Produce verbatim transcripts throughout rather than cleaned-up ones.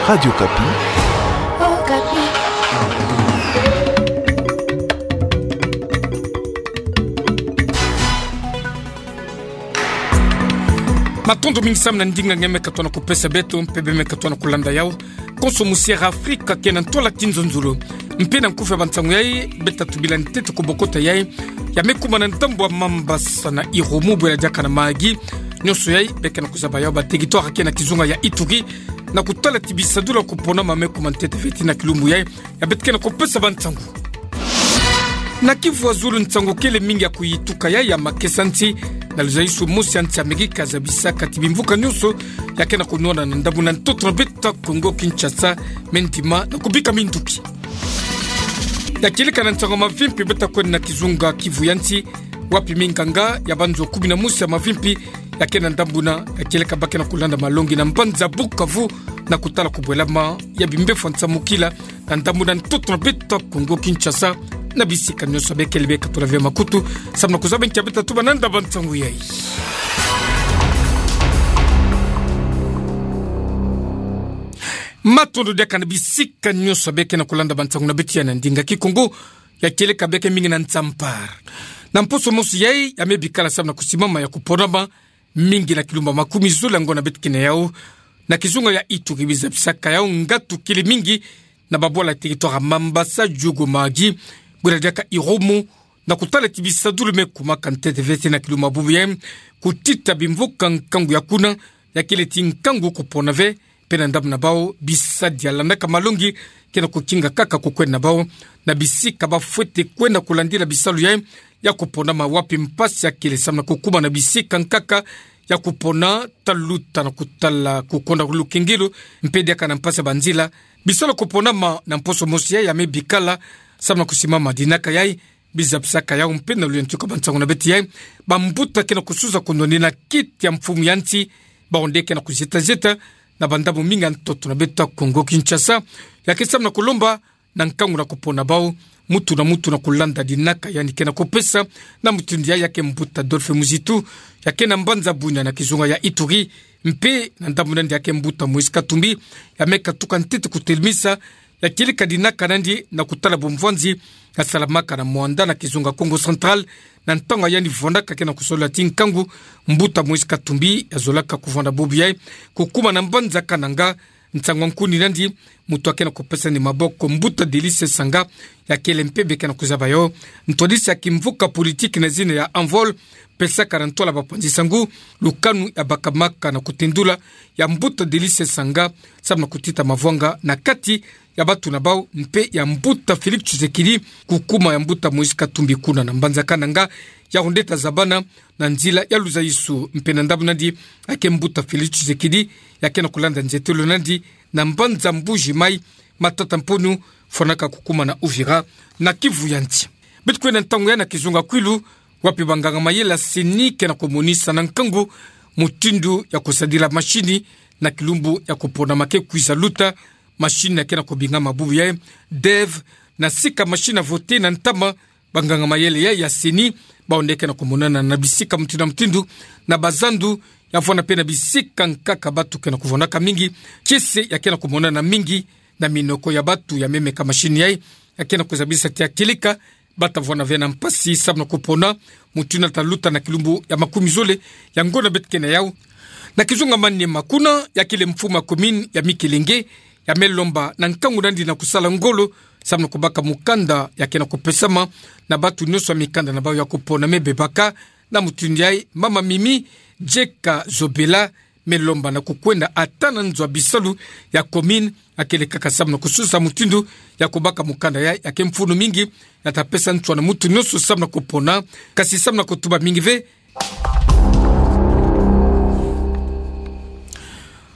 Radio Okapi. Matondo mingi samu na ndinga nge me katona kupesa beto, mpe be me katona kulanda yau. Konso musi Afrika ke na ntwala ti nzonzolo. Mpe na nkufi ya bansangu yai, beta tubila ntete ku bokota yai ya me kuma na ndambu ya Mambasa na Irumu, bwela diaka na Mahagi. Nionso yai, be ke na kuzaba yau, ba territoire ke na kizunga ya Ituri, na kutala ti bisadulu ya kupona ma me kuma ntete feti na kilumbu yai, ya beta ke na kupesa bansangu. Na Kivu ya zulu, nsangu kele mingi ya kuyituka yai ya makesa nsi na luzaisu mosi ya nsi Amerika, zabisaka ti bimvuka nionso ya ke na kunwana na ndambu na ntoto na beto Kongo Kinshasa me ndima na kubika minduki. Ya kieleka na nsangu ya mavimpi, beta kwenda na kizunga Kivu ya nsi, wapi minganga ya banzo kumi na mosi ya mavimpi ya ke na ndambu na, ya kieleka ba ke na kulanda malongi na mbanza Bukavu, na kutala kubwelama ya bimbefo ya nsamukila na ndambu na ntoto na beto Kongo Kinshasa, na bisika nionso. Be kele be katula ve makutu samu na kuzaba nki ya beta tuba na nda bansangu yai. Matondo diaka na bisika nionso be ke na kulanda bansangu na beto ya na ndinga Kikongo. Ya kieleka be ke mingi na Nsampara. Na mposo mosi yai, ya me bikala samu na kusimama ya kuponama mingi na kilumbu ya makumi zole ya ngonda beto ke na yau, na kizunga ya Ituri, bizabisaka yau ngatu kele mingi na babwala ya territoire ya Mambasa, Djugu, Mahagi, bwela diaka Irumu, na kutala ti bisadulu me kumaka ntete feti na kilumbu ya bubu yai, kutita bimvuka nkangu ya kuna, ya kele ti nkangu kupona ve, mpe na ndambu na bau, bisadi ya landaka malongi ke na kukinga kaka kukwenda na bau na bisika ba fwete kwenda kulandila bisalu yai ya kuponama, wapi mpasi ya kele samu na kukuma na bisika nkaka ya kupona, taluta na kutala kukonda lukengelo, mpe diaka na mpasi ya banzila. Bisalu ya kuponama na mposo mosi yai ya me bikala samu na kusimama dinaka yai, bizabisaka yau mpe na luyantika bansangu na beto yai, bambuta ke na kusuza kunwanina kiti ya mfumu ya nsi, bawu nde ke na kuzieta zieta na bandambu mingi ya ntoto na beto Kongo Kinshasa, ya ke samu na kulomba na nkangu na kupona bau, mutu na mutu na kulanda dinaka yandi ke na kupesa. Na mutindu yai, ya ke mbuta Adolphe Muzitu, ya ke na mbanza Bunia na kizunga ya Ituri, mpe na ndambu na yandi ya ke mbuta Moïse Katumbi, ya me katuka ntete kutelemisa, ya kieleka dinaka na yandi na kutala bumvwanzi ya salamaka na Muanda na kizunga Kongo Central, na ntangu yandi vwandaka ke na kusolula ti nkangu, mbuta Moïse Katumbi ya zolaka kuvwanda bubu yai, kukuma na mbanza Kananga. Nsangu ya nkuni na yandi, mutu ya ke na kupesa yandi maboko, mbuta Delice Sanga, ya kele mpe be ke na kuzaba yau ntwadisi ya kimvuka politiki na zina ya Envol, pesaka na ntwala bapanzi-nsangu lukanu ya bakamaka na kutendula ya mbuta Delice Sanga, samu na kutita mavwanga na kati ya batu na bau mpe ya mbuta Félix Tshisekedi, kukuma ya mbuta Moïse Katumbi kuna na mbanza Kananga. Yau nde ta zabana na nzila ya luzaisu, mpe na ndambu na yandi ya ke mbuta Félix Tshisekedi, ya ke na kulanda nzietelo na yandi na mbanza Mbuji-Mayi, Matata-Mponyo, fwanaka kukuma na Uvira, na Kivu ya nsi. Beto kwenda ntangu yai na kizunga Kwilu, wapi banganga-mayele ya CENI ke na kumonisa na nkangu mutindu ya kusadila mashini na kilumbu ya kuponama ke kwiza luta, mashini ya ke na kubingama bubu yai, DEV, na sika mashini ya vote na ntama. Banganga-mayele yai ya CENI, bawu nde ke na kumonana na bisika mutindu na mutindu na bazandu, ya vwanda mpe na bisika nkaka batu ke na kuvwandaka mingi. Kiese ya ke na kumonana mingi na minoko ya batu ya me meka mashini yai, ya ke na kuzabisa ti ya kieleka bata vwanda ve na mpasi samu na kupona mutindu na ta luta na kilumbu ya makumi zole ya ngonda beto ke na yau. Na kizunga Maniema kuna, ya kele mfumu ya commune ya Mikelenge, ya me lomba na nkangu na yandi na kusala ngolo samu na kubaka mukanda ya ke na kupesama na batu nionso ya mikanda na bau ya kupona me bebaka. Na mutindu yai, mama Mimi Jeka Zobela me lomba na kukwenda ata na nzo ya bisalu ya commune, ya kele kaka samu na kususa mutindu ya kubaka mukanda yai, ya ke mfunu mingi, ya ta pesa nswa na mutu nionso samu na kupona, kasi samu na kutuba mingi ve.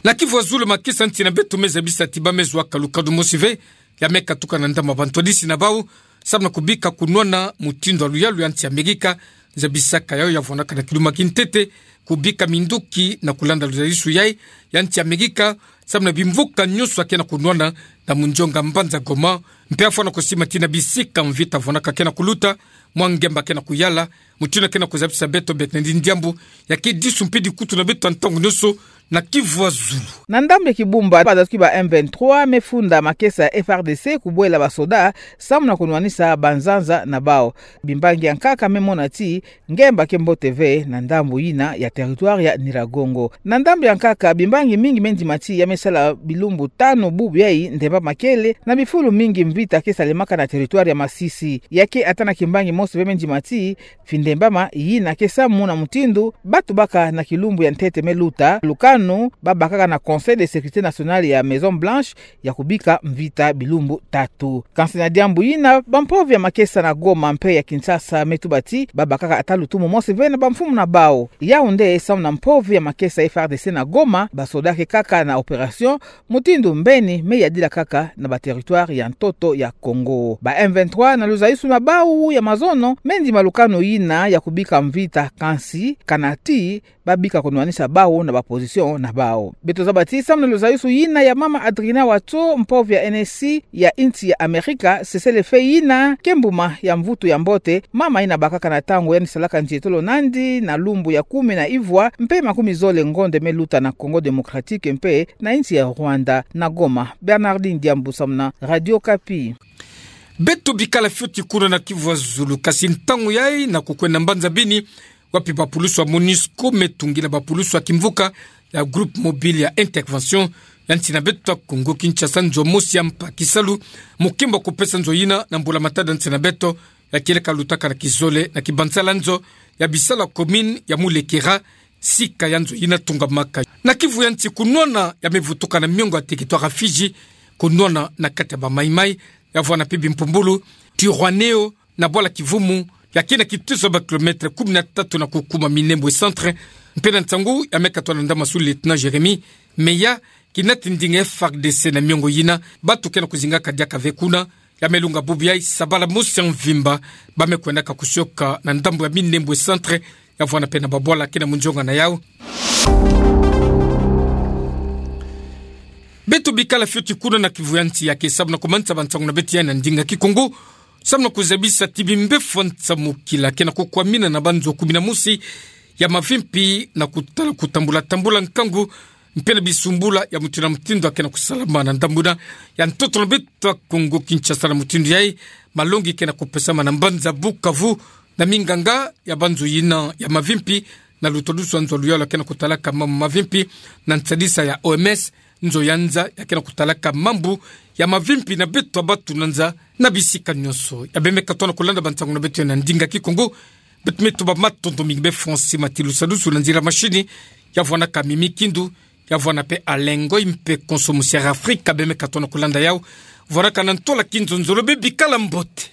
Na Kivu ya zulu, makesa nsi na beto me zabisa ti ba me zwa ka lukanu mosi ve ya me katuka na ndambu ya bantwadisi na bau samu na kubika kunwana mutindu ya luyalu ya nsi Amerika, zabisaka yau ya vwandaka na kiluma kintete kubika minduki na kulanda luzaisu yai ya nsi Amerika, samu na bimvuka nionso ya ke na kunwana na munzonga mbanza Goma, mpe ya fwana kusima ti na bisika mvita vwandaka ke na kuluta, mwa ngemba ke na kuyala. Mutindu ke na kuzabisa beto, beto na ndi ndiambu ya ke disu mpe dikutu na beto ya ntangu nionso, na Kivu ya Zulu. Na ndambu ya kibumba, badoki ba M vingt-trois me funda makesa ya F R D C kubwela basoda, samu na kunwanisa banzanza na bau. Bimbangi ya nkaka me mona ti ngemba ke mbote ve na ndambu yina ya territoire ya Nyiragongo. Na ndambu ya nkaka, bimbangi mingi me ndima ti ya me sala bilumbu tanu bubu yayi ndemba makele na bifulu mingi mvita ke salemaka na territoire ya Masisi. Ya ke ata na kimbangi mosi ve me ndima ti fi ndemba ma yina ke samu na mutindu batu baka na kilumbu ya ntete me luta, lukanu babakaka na Conseil de sécurité nationale ya Maison Blanche ya kubika mvita bilumbu tatu. Kansi na diambu yina, bampovi ya makesa na Goma mpe ya Kinshasa me tuba ti babakaka ata lutumu mosi ve na bamfumu na bau. Yaoundé, samu na mpovi ya makesa F R D C na Goma, basoda ke kaka na opération, mutindu mbeni me yadila kaka na ba territoire ya ntoto ya Congo. Ba M vingt-trois na luzayusu na bau ya mazono me ndima lukanu yina ya kubika mvita, kansi kana ti babika kunwanisa bau na ba position na bau. Beto zaba ti samu na luzayusu yina ya mama Adrina Watso, mpovi ya N S C ya insi ya Amerika, cessez-le-feu yina ke mbuma ya mvutu ya mbote, mama yina bakaka na ntangu yandi salaka nzietolo nandi na lumbu ya kumi na ivwa mpe makumi zole ngonde me luta na Congo Démocratique mpe na insi ya Rwanda. Na Goma, Bernardine Diambu samu na Radio Okapi. Beto bikala fioti kuna na Kivu ya Zulu, kasi ntangu yayi na kukwenda mbanza Beni, wapi bapulusu ya MONUSCO me tungila bapulusu ya kimvuka ya Groupe Mobile ya Intervention ya nsi na beto ya Congo Kinshasa nzo mosi ya mpa kisalu, mukimba kupesa nzo yina na mbula-matadi ya nsi na beto, ya kieleka lutaka na kizole na kibansala nzo ya bisalu ya commune ya Mulekera, sika ya nzo yina tungamaka. Na Kivu ya nsi, kunwana ya me vutuka na miongo ya territoire ya Fidji, kunwana na kati ya ba Maï-Maï, ya vwanda mpe bimpumbulu, Turwaneho, na bwala Kivumu, ya kina kituso ya ba kilomètre kumi na tatu na kukuma Minembwe Centre, mpe na nsangu ya me katwa na ndambu sous-lieutenant Jérémie, mais ya kinati ndinga F R D C na miongo yina, batu ke na kuzingaka diaka ve kuna, ya me lunga bubu yayi sabala mosi ya mvimba, ba me kwendaka kusioka na ndambu ya Minembwe Centre, ya vwanda mpe na babwala ke na munzionga na yau. Beto bikala fioti kuna na Kivu ya nsi, ya ke samu na kumanisa bansangu na beto yayi na ndinga Kikongo, samu na kuzabisa ti bimbevo nsamukila ke na kukwamina na banzo kumi na mosi ya mavimpi na kutala kutambula-tambula nkangu mpe na bisumbula ya mutindu na mutindu ya ke na kusalama na ndambu yina ya ntoto na beto ya Congo Kinshasa. Na mutindu yayi, malongi ke na kupesama na mbanza Bukavu na minganga ya banzo yina ya mavimpi, na lutadusu ya nzo ya luyalu ya ke na kutalaka mambu mavimpi, na nsadisa ya O M S, nzo ya nza ya ke na kutalaka mambu ya mavimpi na beto ya batu na nza na bisika nyonso. Ya bemeka tona kulanda bansangu na beto yayi na ndinga Kikongo, beto me tuba matondo mingi be Francis Matilu Sadusu na nzila mashini, ya vwandaka Mimi Kindu, ya vwanda mpe Alain Ngoy mpe Konso Musiara Afrika, bemeka tona kulanda yau. Vwandaka na ntola kinzonzolo, be bikala mbote.